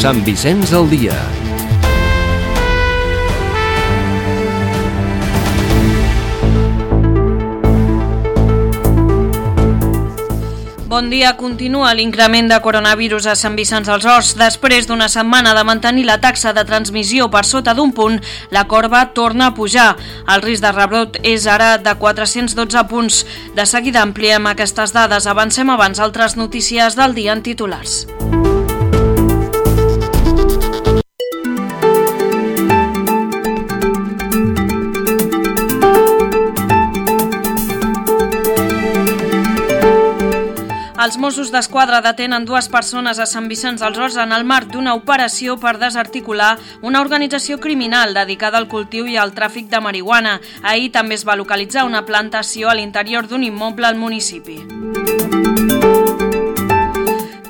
Sant Vicenç al dia. Bon dia. Continua l'increment de coronavirus a Sant Vicenç dels Horts. Després d'una setmana de mantenir la taxa de transmissió per sota d'un punt, la corba torna a pujar. El risc de rebrot és ara de 412 punts. De seguida ampliem aquestes dades. Avancem abans altres notícies del dia en titulars. Els Mossos d'Esquadra detenen 2 persones a Sant Vicenç dels Horts en el marc d'una operació per desarticular una organització criminal dedicada al cultiu i al tràfic de marihuana. Ahir també es va localitzar una plantació a l'interior d'un immoble al municipi.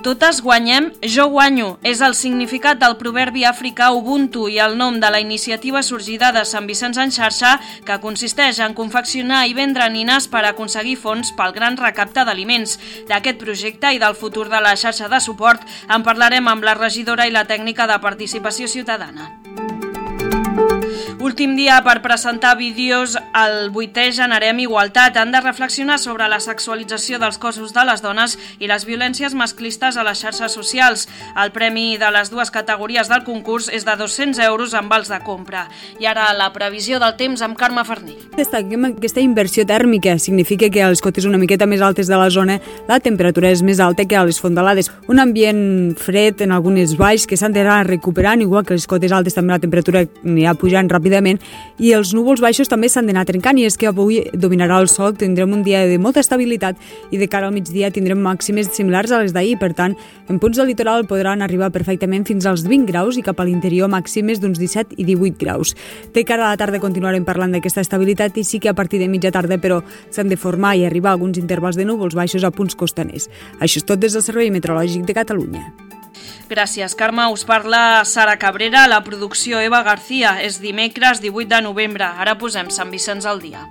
Totes guanyem, jo guanyo. És el significat del proverbi africà Ubuntu i el nom de la iniciativa sorgida de Sant Vicenç en xarxa, que consisteix en confeccionar i vendre nines per aconseguir fons pel gran recapte d'aliments. D'aquest projecte i del futur de la xarxa de suport en parlarem amb la regidora i la tècnica de participació ciutadana. Últim dia per presentar vídeos al 8è Generem Igualtat. Han de reflexionar sobre la sexualització dels cossos de les dones i les violències masclistes a les xarxes socials. El premi de les 2 categories del concurs és de 200 euros amb vals de compra. I ara la previsió del temps amb Carme Farnil. Destaquem aquesta inversió tèrmica. Significa que a les cotes una miqueta més altes de la zona la temperatura és més alta que a les fondalades. Un ambient fred en algunes valls que s'han d'anar recuperant, igual que les cotes altes també la temperatura anirà pujant ràpidament, i els núvols baixos també s'han d'anar trencant, i és que avui dominarà el sol, tindrem un dia de molta estabilitat i de cara al migdia tindrem màximes similars a les d'ahir. Per tant, en punts del litoral podran arribar perfectament fins als 20 graus i cap a l'interior màximes d'uns 17 i 18 graus. De cara a la tarda continuarem parlant d'aquesta estabilitat i sí que a partir de mitja tarda però s'han de formar i arribar alguns intervals de núvols baixos a punts costaners. Això és tot des del Servei Meteorològic de Catalunya. Gràcies, Carme. Us parla Sara Cabrera, la producció Eva García. És dimecres 18 de novembre. Ara posem Sant Vicenç al dia.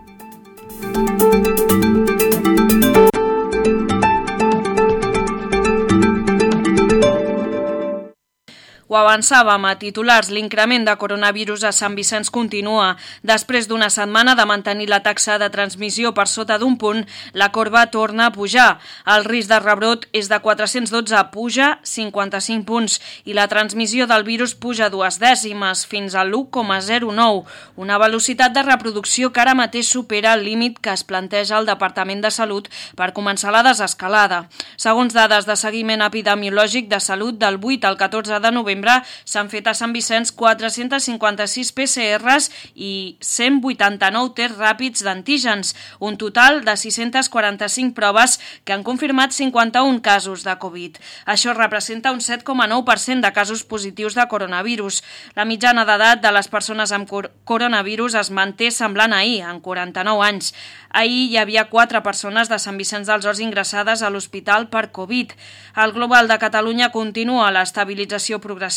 Ho avançàvem a titulars, l'increment de coronavirus a Sant Vicenç continua. Després d'una setmana de mantenir la taxa de transmissió per sota d'un punt, la corba torna a pujar. El risc de rebrot és de 412, puja 55 punts, i la transmissió del virus puja 2 dècimes, fins a l'1,09, una velocitat de reproducció que ara mateix supera el límit que es planteja el Departament de Salut per començar la desescalada. Segons dades de seguiment epidemiològic de salut del 8 al 14 de novembre, s'han fet a Sant Vicenç 456 PCRs i 189 tests ràpids d'antígens, un total de 645 proves que han confirmat 51 casos de Covid. Això representa un 7,9% de casos positius de coronavirus. La mitjana d'edat de les persones amb coronavirus es manté semblant a ahir, en 49 anys. Ahir hi havia 4 persones de Sant Vicenç dels Horts ingressades a l'hospital per Covid. El global de Catalunya continua l'estabilització progressiva.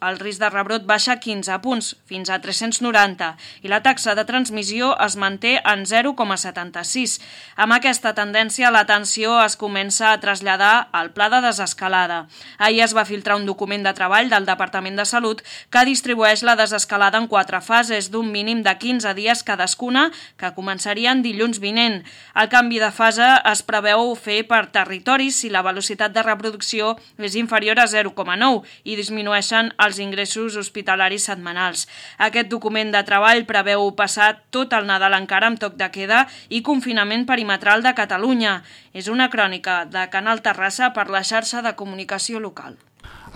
El risc de rebrot baixa 15 punts, fins a 390, i la taxa de transmissió es manté en 0,76. Amb aquesta tendència, l'atenció es comença a traslladar al pla de desescalada. Ahir es va filtrar un document de treball del Departament de Salut que distribueix la desescalada en 4 fases d'un mínim de 15 dies cadascuna, que començarien dilluns vinent. El canvi de fase es preveu fer per territoris si la velocitat de reproducció és inferior a 0,9 i disminueixen els ingressos hospitalaris setmanals. Aquest document de treball preveu passar tot el Nadal encara amb toc de queda i confinament perimetral de Catalunya. És una crònica de Canal Terrassa per la xarxa de comunicació local.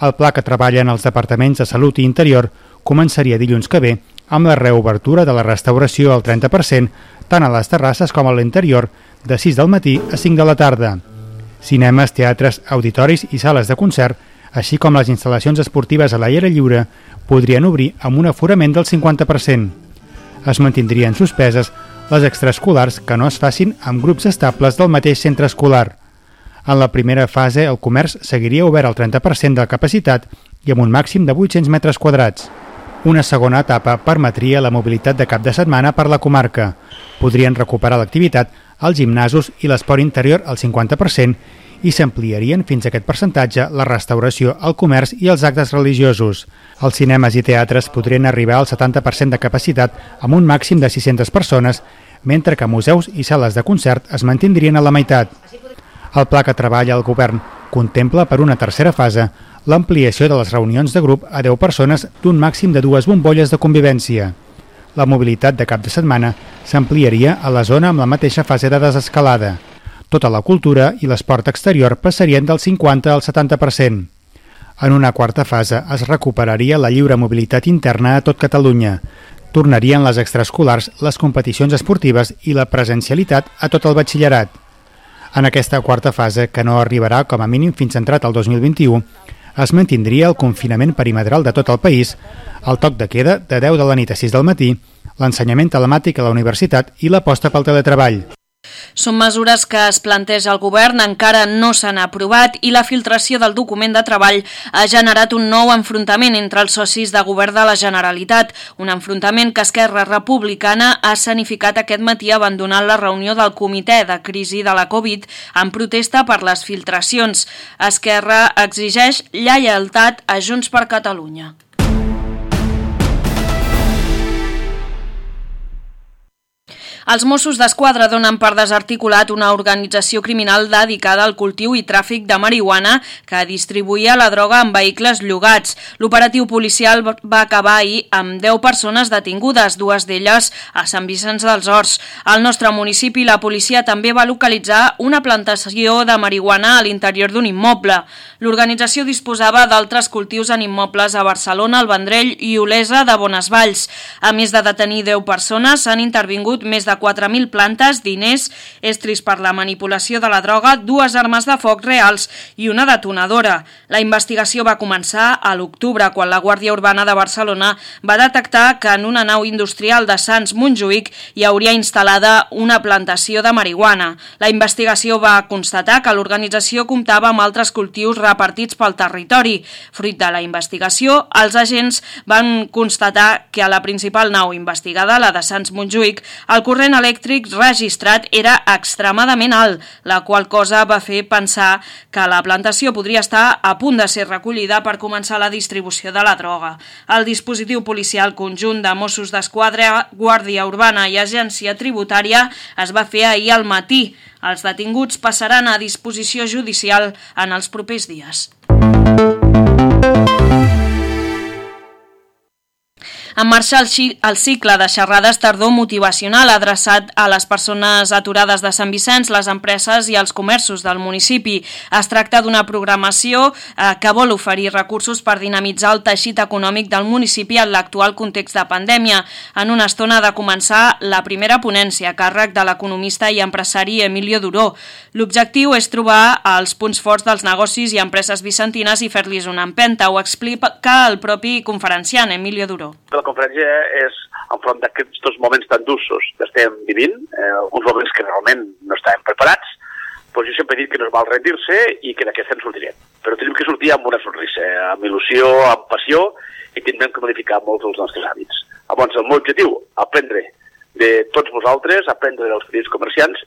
El pla que treballen els departaments de Salut i Interior començaria dilluns que ve amb la reobertura de la restauració al 30%, tant a les terrasses com a l'interior, de 6 del matí a 5 de la tarda. Cinemes, teatres, auditoris i sales de concert, així com les instal·lacions esportives a l'aire lliure, podrien obrir amb un aforament del 50%. Es mantindrien suspeses les extraescolars que no es facin amb grups estables del mateix centre escolar. En la primera fase, el comerç seguiria obert al 30% de la capacitat i amb un màxim de 800 metres quadrats. Una segona etapa permetria la mobilitat de cap de setmana per la comarca. Podrien recuperar l'activitat als gimnasos i l'esport interior al 50% i s'ampliarien fins a aquest percentatge la restauració, el comerç i els actes religiosos. Els cinemes i teatres podrien arribar al 70% de capacitat amb un màxim de 600 persones, mentre que museus i sales de concert es mantindrien a la meitat. El pla que treballa el govern contempla per una tercera fase l'ampliació de les reunions de grup a 10 persones d'un màxim de 2 bombolles de convivència. La mobilitat de cap de setmana s'ampliaria a la zona amb la mateixa fase de desescalada. Tota la cultura i l'esport exterior passarien del 50 al 70%. En una quarta fase es recuperaria la lliure mobilitat interna a tot Catalunya. Tornarien les extraescolars, les competicions esportives i la presencialitat a tot el batxillerat. En aquesta quarta fase, que no arribarà com a mínim fins entrat el 2021, es mantindria el confinament perimetral de tot el país, el toc de queda de 10 de la nit a 6 del matí, l'ensenyament telemàtic a la universitat i l'aposta pel teletreball. Són mesures que es planteja el govern, encara no s'han aprovat i la filtració del document de treball ha generat un nou enfrontament entre els socis de govern de la Generalitat, un enfrontament que Esquerra Republicana ha escenificat aquest matí abandonant la reunió del Comitè de Crisi de la Covid en protesta per les filtracions. Esquerra exigeix lleialtat a Junts per Catalunya. Els Mossos d'Esquadra donen per desarticulat una organització criminal dedicada al cultiu i tràfic de marihuana que distribuïa la droga en vehicles llogats. L'operatiu policial va acabar ahir amb 10 persones detingudes, 2 d'elles a Sant Vicenç dels Horts. Al nostre municipi, la policia també va localitzar una plantació de marihuana a l'interior d'un immoble. L'organització disposava d'altres cultius en immobles a Barcelona, el Vendrell i Olesa de Bonesvalls. A més de detenir 10 persones, s'han intervingut més de 4.000 plantes, diners, estris per la manipulació de la droga, 2 armes de foc reals i una detonadora. La investigació va començar a l'octubre, quan la Guàrdia Urbana de Barcelona va detectar que en una nau industrial de Sants Montjuïc hi hauria instal·lada una plantació de marihuana. La investigació va constatar que l'organització comptava amb altres cultius repartits pel territori. Fruit de la investigació, els agents van constatar que a la principal nau investigada, la de Sants Montjuïc, el corrent elèctric registrat era extremadament alt, la qual cosa va fer pensar que la plantació podria estar a punt de ser recollida per començar la distribució de la droga. El dispositiu policial conjunt de Mossos d'Esquadra, Guàrdia Urbana i Agència Tributària es va fer ahir al matí. Els detinguts passaran a disposició judicial en els propers dies. En marxa el cicle de xerrades tardor motivacional adreçat a les persones aturades de Sant Vicenç, les empreses i els comerços del municipi. Es tracta d'una programació que vol oferir recursos per dinamitzar el teixit econòmic del municipi en l'actual context de pandèmia. En una estona ha de començar la primera ponència a càrrec de l'economista i empresari Emilio Duró. L'objectiu és trobar els punts forts dels negocis i empreses vicentines i fer-los una empenta. Ho explica el propi conferenciant Emilio Duró. La conferència és enfront d'aquests moments tan durs que estem vivint, uns moments que realment no estàvem preparats, però jo sempre he dit que no és mal rendir-se i que d'aquesta en sortirem. Però tenim que sortir amb una sonrisa, amb il·lusió, amb passió, i tindrem que modificar molts dels nostres hàbits. Llavors, el meu objectiu, aprendre de tots vosaltres, aprendre dels petits comerciants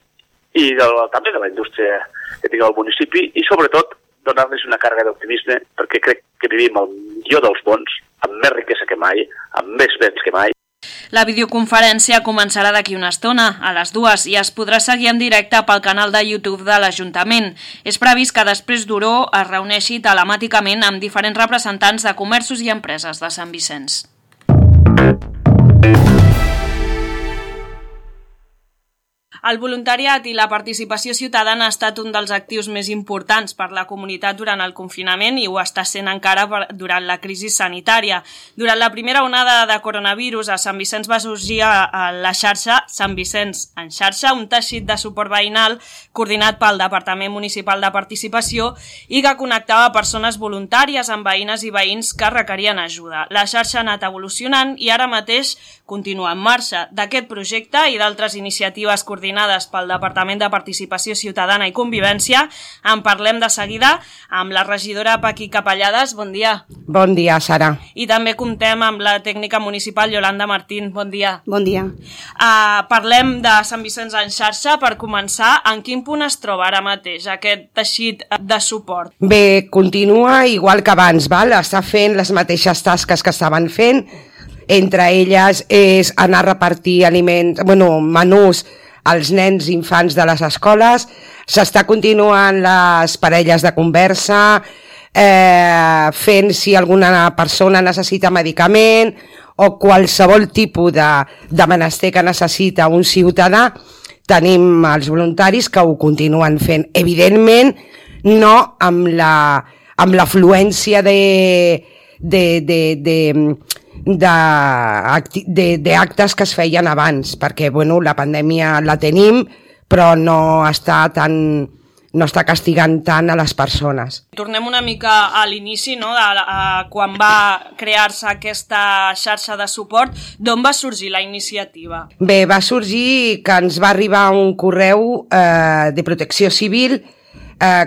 i també de la indústria que tingueu al municipi i, sobretot, donar-los una càrrega d'optimisme, perquè crec que vivim el millor dels mons, amb més riquesa que mai, amb més béns que mai. La videoconferència començarà d'aquí una estona, a les 2, i es podrà seguir en directe pel canal de YouTube de l'Ajuntament. És previst que després Duró es reuneixi telemàticament amb diferents representants de comerços i empreses de Sant Vicenç. El voluntariat i la participació ciutadana ha estat un dels actius més importants per la comunitat durant el confinament i ho està sent encara durant la crisi sanitària. Durant la primera onada de coronavirus, a Sant Vicenç va sorgir a la xarxa Sant Vicenç en xarxa, un teixit de suport veïnal coordinat pel Departament Municipal de Participació i que connectava persones voluntàries amb veïnes i veïns que requerien ajuda. La xarxa ha anat evolucionant i ara mateix continua en marxa. D'aquest projecte i d'altres iniciatives coordinades coordinades pel Departament de Participació Ciutadana i Convivència. En parlem de seguida amb la regidora Paqui Capellades. Bon dia. Bon dia, Sara. I també comptem amb la tècnica municipal Yolanda Martín. Bon dia. Bon dia. Parlem de Sant Vicenç en xarxa. Per començar, en quin punt es troba ara mateix aquest teixit de suport? Bé, continua igual que abans, val? Està fent les mateixes tasques que estaven fent. Entre elles és anar a repartir menús als nens i infants de les escoles. S'està continuant les parelles de conversa, fent si alguna persona necessita medicament o qualsevol tipus de menester que necessita un ciutadà. Tenim els voluntaris que ho continuen fent. Evidentment, no amb l'afluència d'actes que es feien abans, perquè la pandèmia la tenim, però no està castigant tant a les persones. Tornem una mica a l'inici, no? Quan va crear-se aquesta xarxa de suport. D'on va sorgir la iniciativa? Bé, va sorgir que ens va arribar un correu de Protecció Civil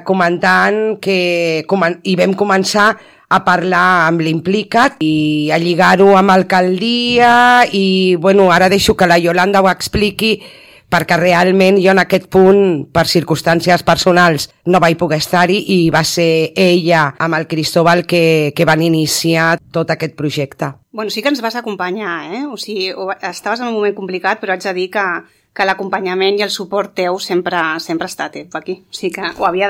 comentant i vam començar a parlar amb l'Implicat i a lligar-ho amb alcaldia i ara deixo que la Yolanda ho expliqui perquè realment jo en aquest punt, per circumstàncies personals, no vaig poder estar-hi i va ser ella amb el Cristóbal que van iniciar tot aquest projecte. Sí que ens vas acompanyar, O sigui, estaves en un moment complicat, però haig de dir que l'acompanyament i el suport teu sempre ha estat aquí. O sigui que ho havia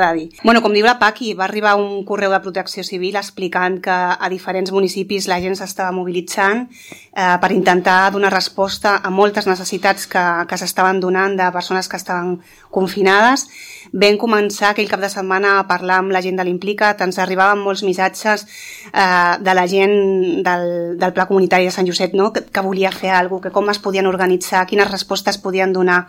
de dir. Com diu la Paqui, va arribar un correu de Protecció Civil explicant que a diferents municipis la gent s'estava mobilitzant per intentar donar resposta a moltes necessitats que s'estaven donant de persones que estaven confinades. Vam començar aquell cap de setmana a parlar amb la gent de l'Implicat, ens arribaven molts missatges de la gent del Pla Comunitari de Sant Josep, que volia fer alguna cosa, que com es podien organitzar, quines respostes podien donar.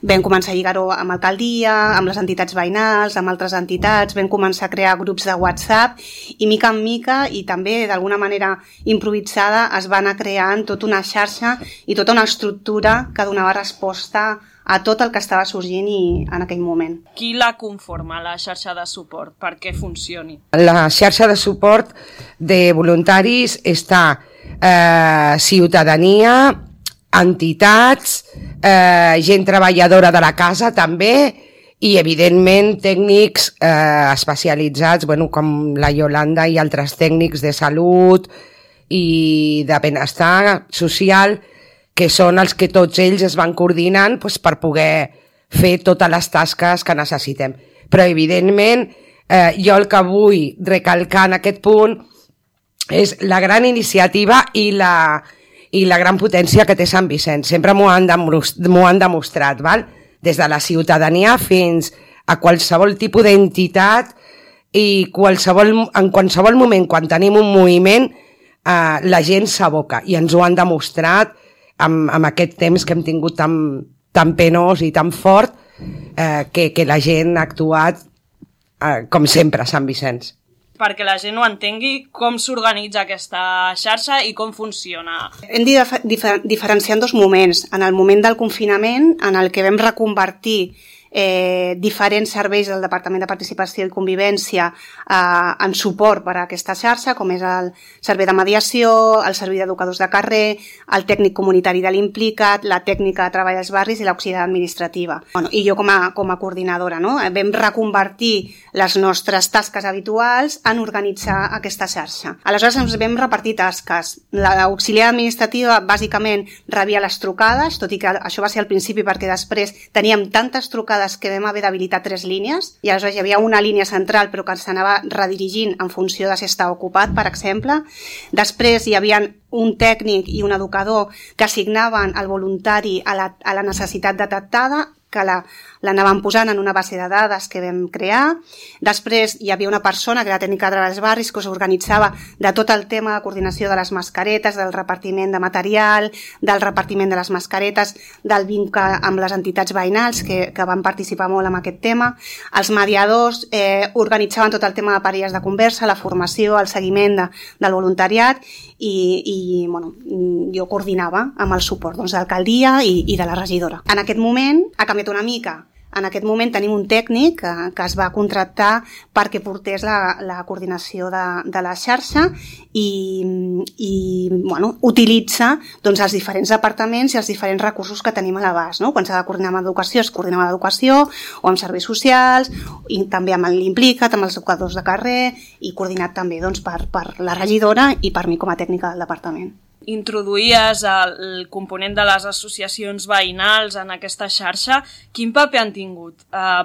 Vam començar a lligar-ho amb alcaldia, amb les entitats veïnals, amb altres entitats, vam començar a crear grups de WhatsApp i mica en mica i també d'alguna manera improvisada es va anar creant tota una xarxa i tota una estructura que donava resposta a tot el que estava sorgint en aquell moment. Qui la conforma, la xarxa de suport, perquè funcioni? La xarxa de suport de voluntaris està ciutadania, entitats, gent treballadora de la casa també i evidentment tècnics especialitzats com la Yolanda i altres tècnics de salut i de benestar social, que són els que tots ells es van coordinant per poder fer totes les tasques que necessitem. Però, evidentment, jo el que vull recalcar en aquest punt és la gran iniciativa i la gran potència que té Sant Vicenç. Sempre m'ho han demostrat, val? Des de la ciutadania fins a qualsevol tipus d'entitat i en qualsevol moment, quan tenim un moviment, la gent s'aboca i ens ho han demostrat amb aquest temps que hem tingut tan penós i tan fort que la gent ha actuat com sempre a Sant Vicenç. Perquè la gent ho entengui, com s'organitza aquesta xarxa i com funciona. Hem de diferenciar en dos moments. En el moment del confinament, en el que vam reconvertir diferents serveis del Departament de Participació i Convivència en suport per a aquesta xarxa, com és el servei de mediació, el servei d'educadors de carrer, el tècnic comunitari de l'Implicat, la tècnica de treball als barris i l'auxiliar administrativa. I jo com a coordinadora, vam reconvertir les nostres tasques habituals en organitzar aquesta xarxa. Aleshores ens vam repartir tasques. L'auxiliar administrativa bàsicament rebia les trucades, tot i que això va ser al principi perquè després teníem tantes trucades que vam haver d'habilitar 3 línies i aleshores hi havia una línia central però que s'anava redirigint en funció de si estava ocupat, per exemple. Després hi havia un tècnic i un educador que assignaven el voluntari a la necessitat detectada, que l'anàvem posant en una base de dades que vam crear. Després hi havia una persona, que era la tècnica de treballs barris, que s'organitzava de tot el tema de coordinació de les mascaretes, del repartiment de material, del repartiment de les mascaretes, del vincle amb les entitats veïnals que van participar molt en aquest tema. Els mediadors organitzaven tot el tema de parelles de conversa, la formació, el seguiment del voluntariat i bueno, jo coordinava amb el suport de l'alcaldia i de la regidora. En aquest moment ha canviat una mica. En aquest moment tenim un tècnic que es va contractar perquè portés la coordinació de la xarxa i bueno, utilitza doncs, els diferents departaments i els diferents recursos que tenim a l'abast. No? Quan s'ha de coordinar amb educació, es coordina amb educació o amb serveis socials, i també amb l'Implicat, amb els educadors de carrer i coordinat també doncs, per la regidora i per mi com a tècnica del departament. Introduïes el component de les associacions veïnals en aquesta xarxa. Quin paper han tingut?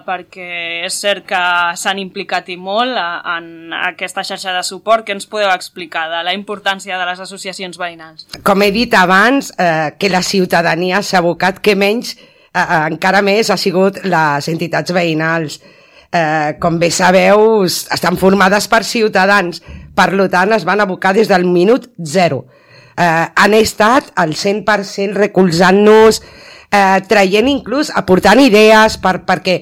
Perquè és cert que s'han implicat i molt en aquesta xarxa de suport. Què ens podeu explicar de la importància de les associacions veïnals? Com he dit abans, que la ciutadania s'ha abocat, que menys, encara més, ha sigut les entitats veïnals. Com bé sabeu, estan formades per ciutadans, per tant es van abocar des del minut zero. Han estat al 100% recolzant-nos, traient inclús, aportant idees perquè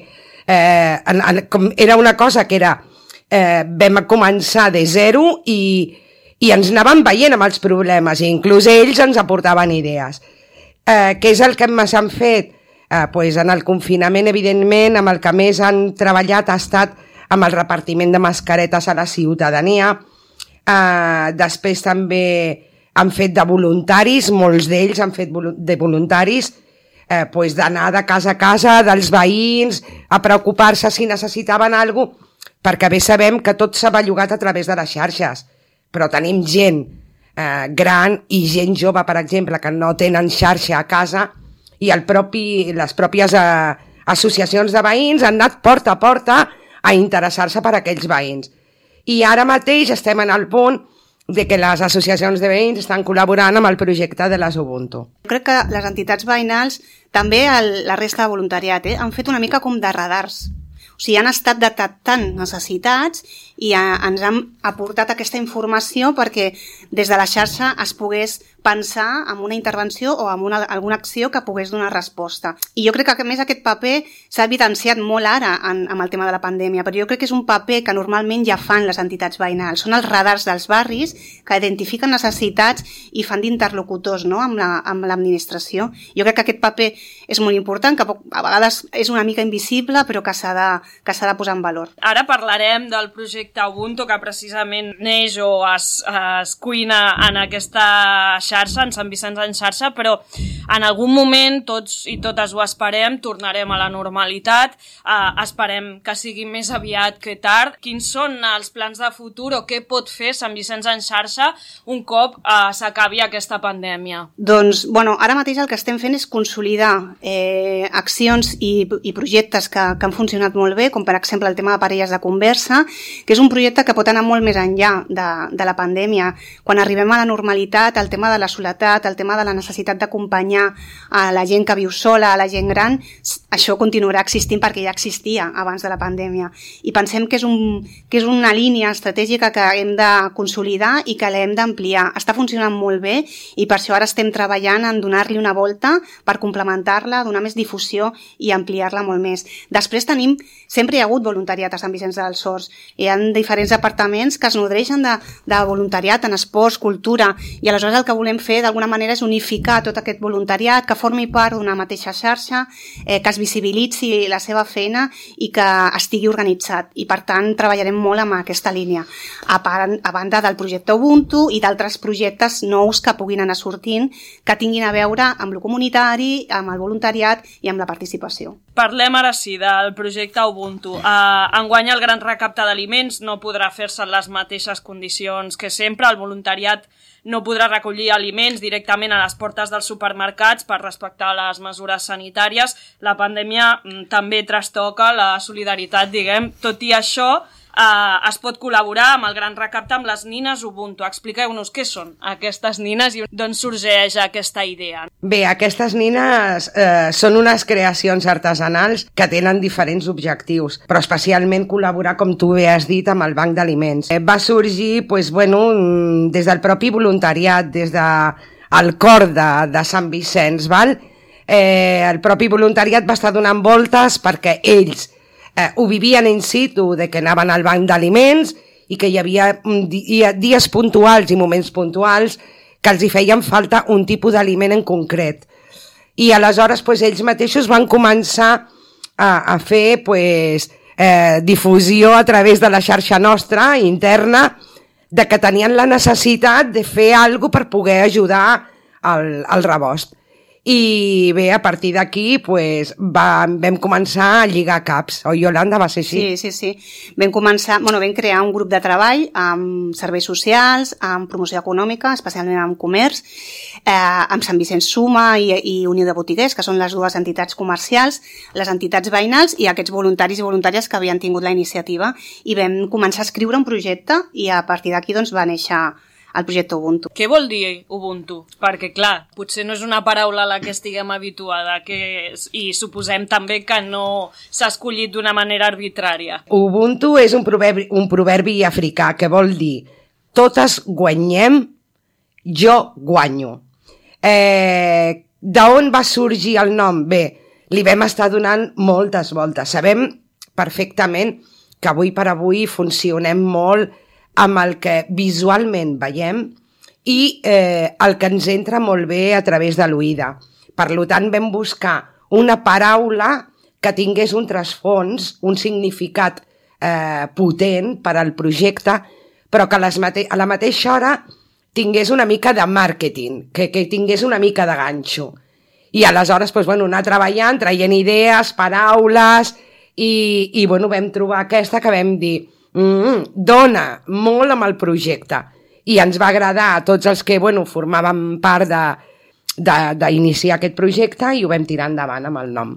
era una cosa que era vam començar de zero i ens anàvem veient amb els problemes i inclús ells ens aportaven idees. Què és el que més han fet? Pues en el confinament, evidentment, amb el que més han treballat ha estat amb el repartiment de mascaretes a la ciutadania. Després també han fet de voluntaris, molts d'ells han fet de voluntaris, d'anar de casa a casa dels veïns, a preocupar-se si necessitaven alguna cosa, perquè bé sabem que tot s'ha bellugat a través de les xarxes, però tenim gent gran i gent jove, per exemple, que no tenen xarxa a casa i les pròpies associacions de veïns han anat porta a porta a interessar-se per aquells veïns. I ara mateix estem en el punt de que les associacions de veïns estan col·laborant amb el projecte de les Ubuntu. Crec que les entitats veïnals, també la resta de voluntariat, han fet una mica com de radars. O sigui, han estat detectant necessitats i ens han aportat aquesta informació perquè des de la xarxa es pogués pensar en una intervenció o en alguna acció que pogués donar resposta. I jo crec que a més aquest paper s'ha evidenciat molt ara amb el tema de la pandèmia, però jo crec que és un paper que normalment ja fan les entitats veïnals. Són els radars dels barris que identifiquen necessitats i fan d'interlocutors, no?, amb l'administració. Jo crec que aquest paper és molt important, que a vegades és una mica invisible, però que s'ha de posar en valor. Ara parlarem del projecte Ubuntu, que precisament neix o es cuina en aquesta xarxa, en Sant Vicenç en xarxa, però en algun moment tots i totes ho esperem, tornarem a la normalitat, esperem que sigui més aviat que tard. Quins són els plans de futur o què pot fer Sant Vicenç en xarxa un cop s'acabi aquesta pandèmia? Doncs, ara mateix el que estem fent és consolidar accions i projectes que han funcionat molt bé, com per exemple el tema de parelles de conversa, que és un projecte que pot anar molt més enllà de la pandèmia. Quan arribem a la normalitat, el tema de la soledat, el tema de la necessitat d'acompanyar a la gent que viu sola, a la gent gran, això continuarà existint perquè ja existia abans de la pandèmia. I pensem que és una línia estratègica que hem de consolidar i que l'hem d'ampliar. Està funcionant molt bé i per això ara estem treballant en donar-li una volta per complementar-la, donar més difusió i ampliar-la molt més. Després sempre hi ha hagut voluntariat a Sant Vicenç dels Horts. Hi ha diferents departaments que es nodreixen de voluntariat en esports, cultura, i aleshores el que volem fer d'alguna manera és unificar tot aquest voluntariat, que formi part d'una mateixa xarxa, que es visibilitzi la seva feina i que estigui organitzat. I per tant treballarem molt amb aquesta línia, a banda del projecte Ubuntu i d'altres projectes nous que puguin anar sortint, que tinguin a veure amb el comunitari, amb el voluntariat i amb la participació. Parlem ara sí del projecte Ubuntu. Enguany el gran recapte d'aliments no podrà fer-se en les mateixes condicions que sempre. El voluntariat no podrà recollir aliments directament a les portes dels supermercats per respectar les mesures sanitàries. La pandèmia també trastoca la solidaritat, diguem. Tot i això, es pot col·laborar amb el Gran Recapte amb les nines Ubuntu. Expliqueu-nos què són aquestes nines i d'on sorgeix aquesta idea. Bé, aquestes nines són unes creacions artesanals que tenen diferents objectius, però especialment col·laborar, com tu bé has dit, amb el Banc d'Aliments. Va sorgir des del propi voluntariat, des del cor de Sant Vicenç, val? El propi voluntariat va estar donant voltes perquè ells ho vivien in situ, de que anaven al banc d'aliments i que hi havia dies puntuals i moments puntuals que els hi feien falta un tipus d'aliment en concret. I aleshores ells mateixos van començar a fer difusió a través de la xarxa nostra, interna, de que tenien la necessitat de fer alguna cosa per poder ajudar al rebost. I bé, a partir d'aquí vam començar a lligar caps, oi, Iolanda? Va ser així? Sí. Vam crear un grup de treball amb serveis socials, amb promoció econòmica, especialment amb comerç, amb Sant Vicenç Suma i Unió de Botiguers, que són les dues entitats comercials, les entitats veïnals i aquests voluntaris i voluntàries que havien tingut la iniciativa. I vam començar a escriure un projecte i a partir d'aquí va néixer el projecte Ubuntu. Què vol dir Ubuntu? Perquè, clar, potser no és una paraula a la que estiguem habituada i suposem també que no s'ha escollit d'una manera arbitrària. Ubuntu és un proverbi africà que vol dir totes guanyem, jo guanyo. D'on va sorgir el nom? Bé, li vam estar donant moltes voltes. Sabem perfectament que avui per avui funcionem molt amb el que visualment veiem i el que ens entra molt bé a través de l'oïda. Per tant, vam buscar una paraula que tingués un trasfons, un significat potent per al projecte, però que a la mateixa hora tingués una mica de màrqueting, que tingués una mica de ganxo. I aleshores anar treballant, traient idees, paraules, i vam trobar aquesta que vam dir dona molt amb el projecte i ens va agradar a tots els que formàvem part d'iniciar aquest projecte i ho vam tirar endavant amb el nom.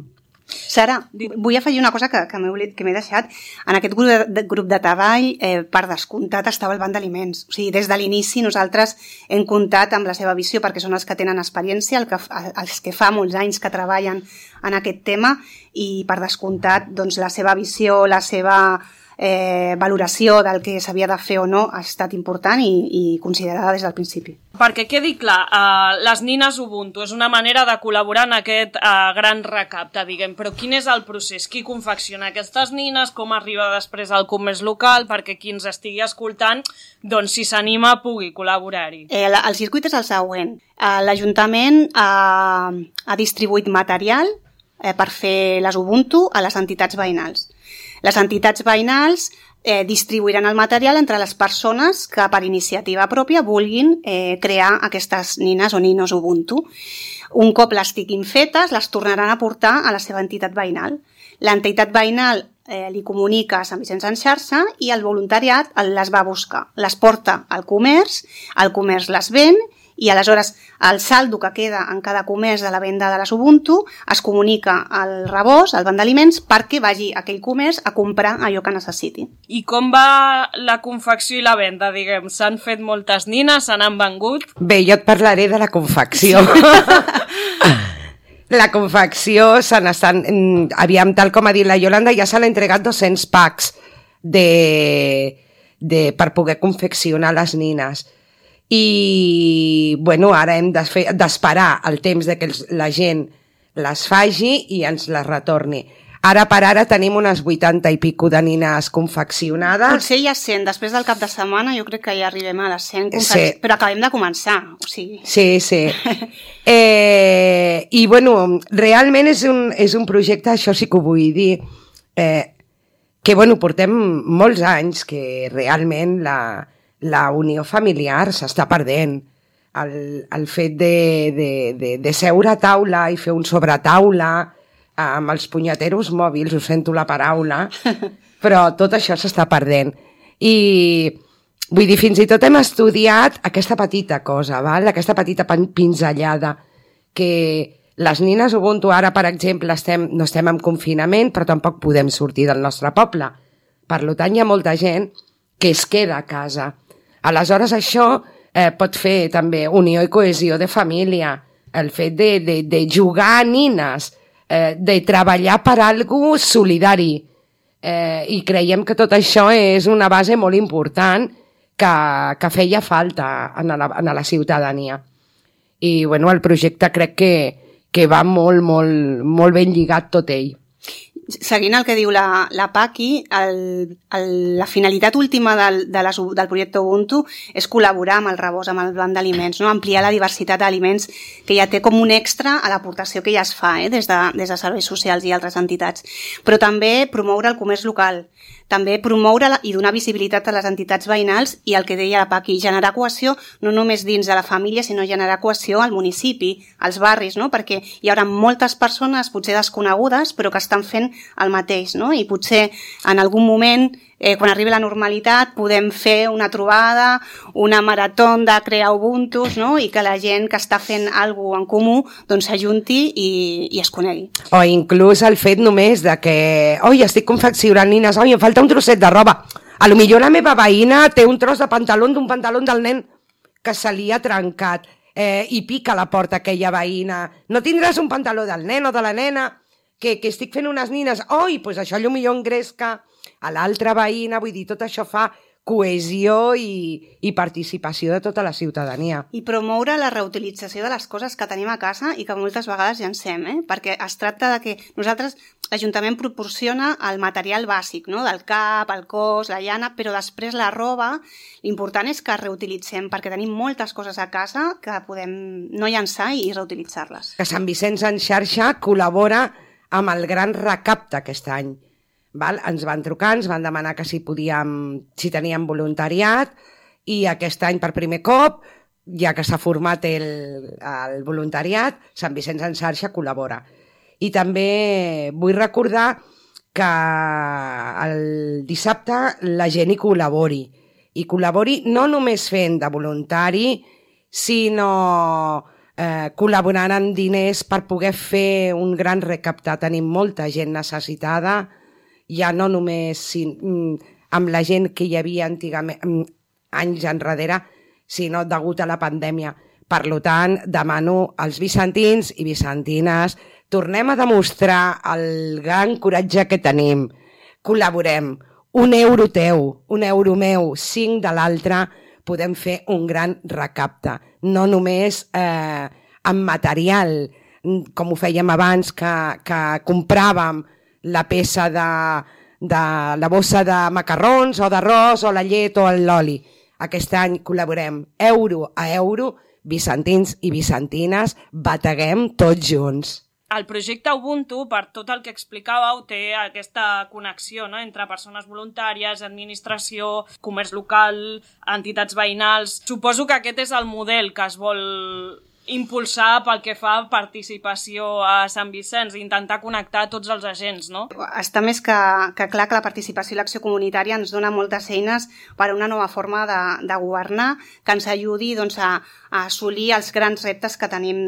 Sara, vull afegir una cosa que m'he deixat. En aquest grup de treball, per descomptat, estava el Banc d'Aliments. O sigui, des de l'inici nosaltres hem comptat amb la seva visió perquè són els que tenen experiència, els que fa molts anys que treballen en aquest tema i per descomptat la seva visió, la seva valoració del que s'havia de fer o no ha estat important i considerada des del principi. Perquè quedi clar, les nines Ubuntu és una manera de col·laborar en aquest gran recapte, diguem, però quin és el procés? Qui confecciona aquestes nines? Com arriba després al comerç local? Perquè qui ens estigui escoltant, si s'anima, pugui col·laborar-hi. El circuit és el següent. L'Ajuntament ha distribuït material per fer les Ubuntu a les entitats veïnals. Les entitats veïnals distribuiran el material entre les persones que per iniciativa pròpia vulguin crear aquestes nines o ninos Ubuntu. Un cop les tinguin fetes, les tornaran a portar a la seva entitat veïnal. L'entitat veïnal li comunica a Sant Vicenç en xarxa i el voluntariat les va a buscar. Les porta al comerç, el comerç les ven i aleshores el saldo que queda en cada comerç de la venda de les Ubuntu es comunica al rebost, al Banc d'Aliments, perquè vagi a aquell comerç a comprar allò que necessiti. I com va la confecció i la venda, diguem? S'han fet moltes nines, se n'han vengut? Bé, jo et parlaré de la confecció. La confecció aviam, tal com ha dit la Iolanda, ja s'han entregat 200 packs per poder confeccionar les nines. I ara hem d'esperar el temps de que la gent les faci i ens les retorni. Ara per ara tenim unes 80 i pico de nines confeccionades. Potser ja 100, després del cap de setmana jo crec que ja arribem a les 100 confeccionades, però acabem de començar. O sigui. Sí. I realment és un projecte, això sí que ho vull dir, que portem molts anys que realment la unió familiar s'està perdent. El fet de seure a taula i fer un sobretaula amb els punyeteros mòbils, ho sento la paraula, però tot això s'està perdent. I vull dir, fins i tot hem estudiat aquesta petita cosa, val? Aquesta petita pinzellada, que les nines Ubuntu ara, per exemple, no estem en confinament, però tampoc podem sortir del nostre poble, Per tant, hi ha molta gent que es queda a casa. Aleshores, això pot fer també unió i cohesió de família, el fet de jugar a nines, de treballar per algú solidari. I creiem que tot això és una base molt important que feia falta a la ciutadania. I bueno, el projecte crec que va molt ben lligat tot ell. Seguint el que diu la Paqui, la finalitat última del projecte Ubuntu és col·laborar amb el rebost, amb el banc d'aliments, no? Ampliar la diversitat d'aliments que ja té com un extra a l'aportació que ja es fa des de serveis socials i altres entitats. Però també promoure el comerç local, també promoure i donar visibilitat a les entitats veïnals i el que deia la Paqui, generar cohesió no només dins de la família, sinó generar cohesió al municipi, als barris, no? Perquè hi haurà moltes persones potser desconegudes però que estan fent el mateix, no? I potser en algun moment, quan arribi la normalitat, podem fer una trobada, una marató de crear Ubuntus, no? I que la gent que està fent alguna cosa en comú doncs s'ajunti i es conegui. O inclús el fet només de que oi, estic confeccionant nines, oi, em falta un trosset de roba. A lo millor la meva veïna té un tros de pantaló d'un pantaló del nen que se li ha trencat i pica a la porta aquella veïna. No tindràs un pantaló del nen o de la nena que estic fent unes nines? Oi, doncs això potser engresca a l'altra veïna, vull dir, tot això fa cohesió i participació de tota la ciutadania. I promoure la reutilització de les coses que tenim a casa i que moltes vegades llancem, perquè es tracta de que nosaltres, l'Ajuntament proporciona el material bàsic, no? Del cap, el cos, la llana, però després la roba, l'important és que reutilitzem, perquè tenim moltes coses a casa que podem no llançar i reutilitzar-les. Que Sant Vicenç en xarxa col·labora amb el gran recapte aquest any. Ens van trucar, ens van demanar que si teníem voluntariat i aquest any per primer cop, ja que s'ha format el voluntariat, Sant Vicenç en xarxa col·labora. I també vull recordar que el dissabte la gent hi col·labori no només fent de voluntari, sinó col·laborant amb diners per poder fer un gran recaptar. Tenim molta gent necessitada, ja no només amb la gent que hi havia antigament, anys enrere, sinó degut a la pandèmia. Per tant, demano als vicentins i vicentines, tornem a demostrar el gran coratge que tenim. Col·laborem. 1 euro teu, 1 euro meu, 5 de l'altre, podem fer un gran recapte. No només amb material, com ho fèiem abans, que compràvem la peça de la bossa de macarrons o d'arròs o la llet o l'oli. Aquest any col·laborem euro a euro, vicentins i vicentines, bateguem tots junts. El projecte Ubuntu, per tot el que explicàveu, té aquesta connexió, no?, entre persones voluntàries, administració, comerç local, entitats veïnals. Suposo que aquest és el model que es vol impulsar pel que fa a participació a Sant Vicenç, intentar connectar tots els agents, no? Està més que clar que la participació i l'acció comunitària ens dona moltes eines per a una nova forma de governar que ens ajudi a assolir els grans reptes que tenim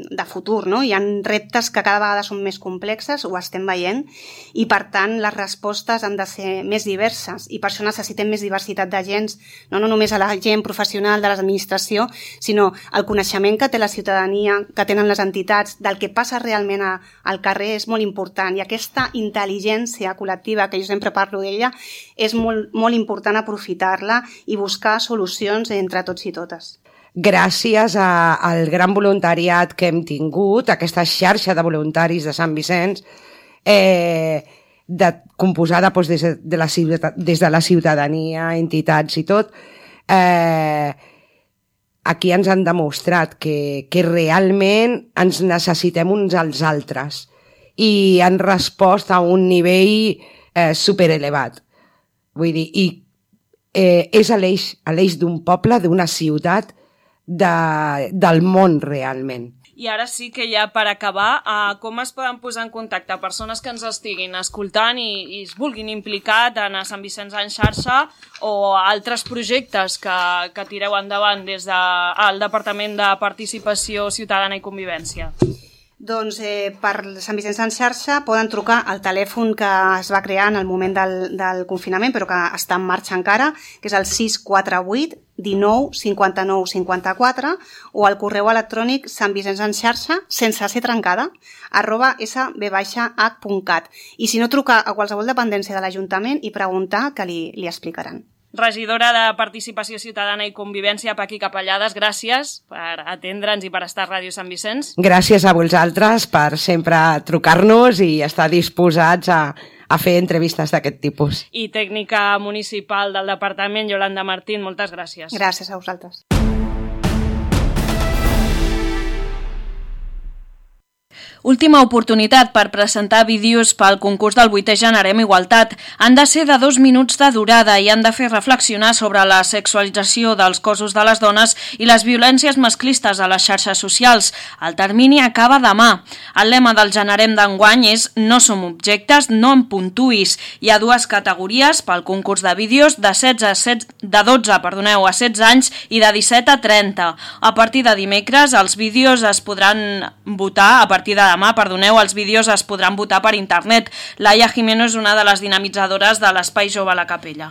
de futur, no? Hi ha reptes que cada vegada són més complexes, ho estem veient, i per tant les respostes han de ser més diverses i per això necessitem més diversitat d'agents, no només a la gent professional de l'administració, sinó el coneixement que té la ciutadania, que tenen les entitats, del que passa realment al carrer és molt important, i aquesta intel·ligència col·lectiva, que jo sempre parlo d'ella, és molt important aprofitar-la i buscar solucions entre tots i totes. Gràcies al gran voluntariat que hem tingut, aquesta xarxa de voluntaris de Sant Vicenç, composada des de la ciutadania, entitats i tot, aquí ens han demostrat que realment ens necessitem uns als altres i han respost a un nivell superelevat. Vull dir, és a l'eix d'un poble, d'una ciutat, del món realment. I ara sí que ja per acabar, com es poden posar en contacte persones que ens estiguin escoltant i es vulguin implicar tant a Sant Vicenç en xarxa o altres projectes que tireu endavant des del Departament de Participació Ciutadana i Convivència? Doncs per Sant Vicenç en xarxa poden trucar al telèfon que es va crear en el moment del confinament, però que està en marxa encara, que és el 648 19 59 54, o al correu electrònic santvicençenxarxa, sense ser trencada, @sb-h.cat. I si no, trucar a qualsevol dependència de l'Ajuntament i preguntar, que li explicaran. Regidora de Participació Ciutadana i Convivència, Paqui Capellades, gràcies per atendre'ns i per estar a Ràdio Sant Vicenç. Gràcies a vosaltres per sempre trucar-nos i estar disposats a fer entrevistes d'aquest tipus. I tècnica municipal del departament, Yolanda Martín, moltes gràcies. Gràcies a vosaltres. Última oportunitat per presentar vídeos pel concurs del 8è Generem Igualtat. Han de ser de 2 minuts de durada i han de fer reflexionar sobre la sexualització dels cossos de les dones i les violències masclistes a les xarxes socials. El termini acaba demà. El lema del Generem d'enguany és "No som objectes, no em puntuïs". Hi ha 2 categories pel concurs de vídeos de 12 a 16 anys i de 17 a 30. A partir de dimecres els vídeos es podran votar a partir de demà, els vídeos es podran votar per internet. Laia Jimeno és una de les dinamitzadores de l'Espai Jove a la Capella.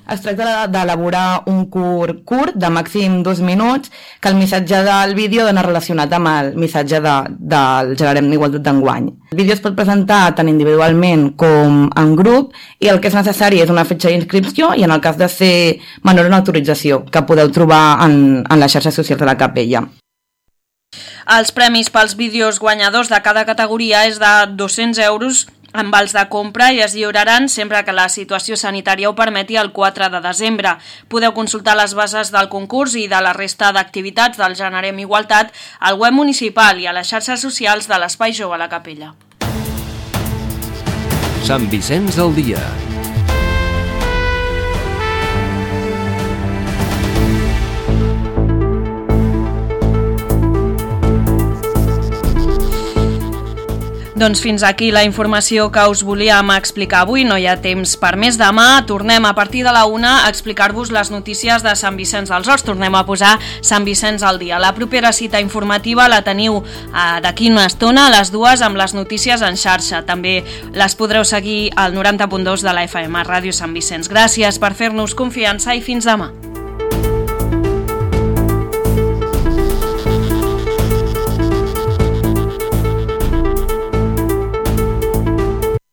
Es tracta d'elaborar un curt de màxim 2 minuts, que el missatge del vídeo dona relacionat amb el missatge del Generem d'Igualtat d'enguany. El vídeo es pot presentar tant individualment com en grup i el que és necessari és una fitxa d'inscripció i en el cas de ser menor una autorització, que podeu trobar en les xarxes socials de la Capella. Els premis pels vídeos guanyadors de cada categoria és de 200 euros amb vals de compra i es lliuraran sempre que la situació sanitària ho permeti el 4 de desembre. Podeu consultar les bases del concurs i de la resta d'activitats del Generem Igualtat al web municipal i a les xarxes socials de l'Espai Jove a la Capella. Sant Vicenç al dia. Doncs fins aquí la informació que us volíem explicar avui. No hi ha temps per més. Demà tornem a partir de la 1 a explicar-vos les notícies de Sant Vicenç dels Horts. Tornem a posar Sant Vicenç al dia. La propera cita informativa la teniu d'aquí una estona a les 2 amb les notícies en xarxa. També les podreu seguir al 90.2 de la FM, Ràdio Sant Vicenç. Gràcies per fer-nos confiança i fins demà.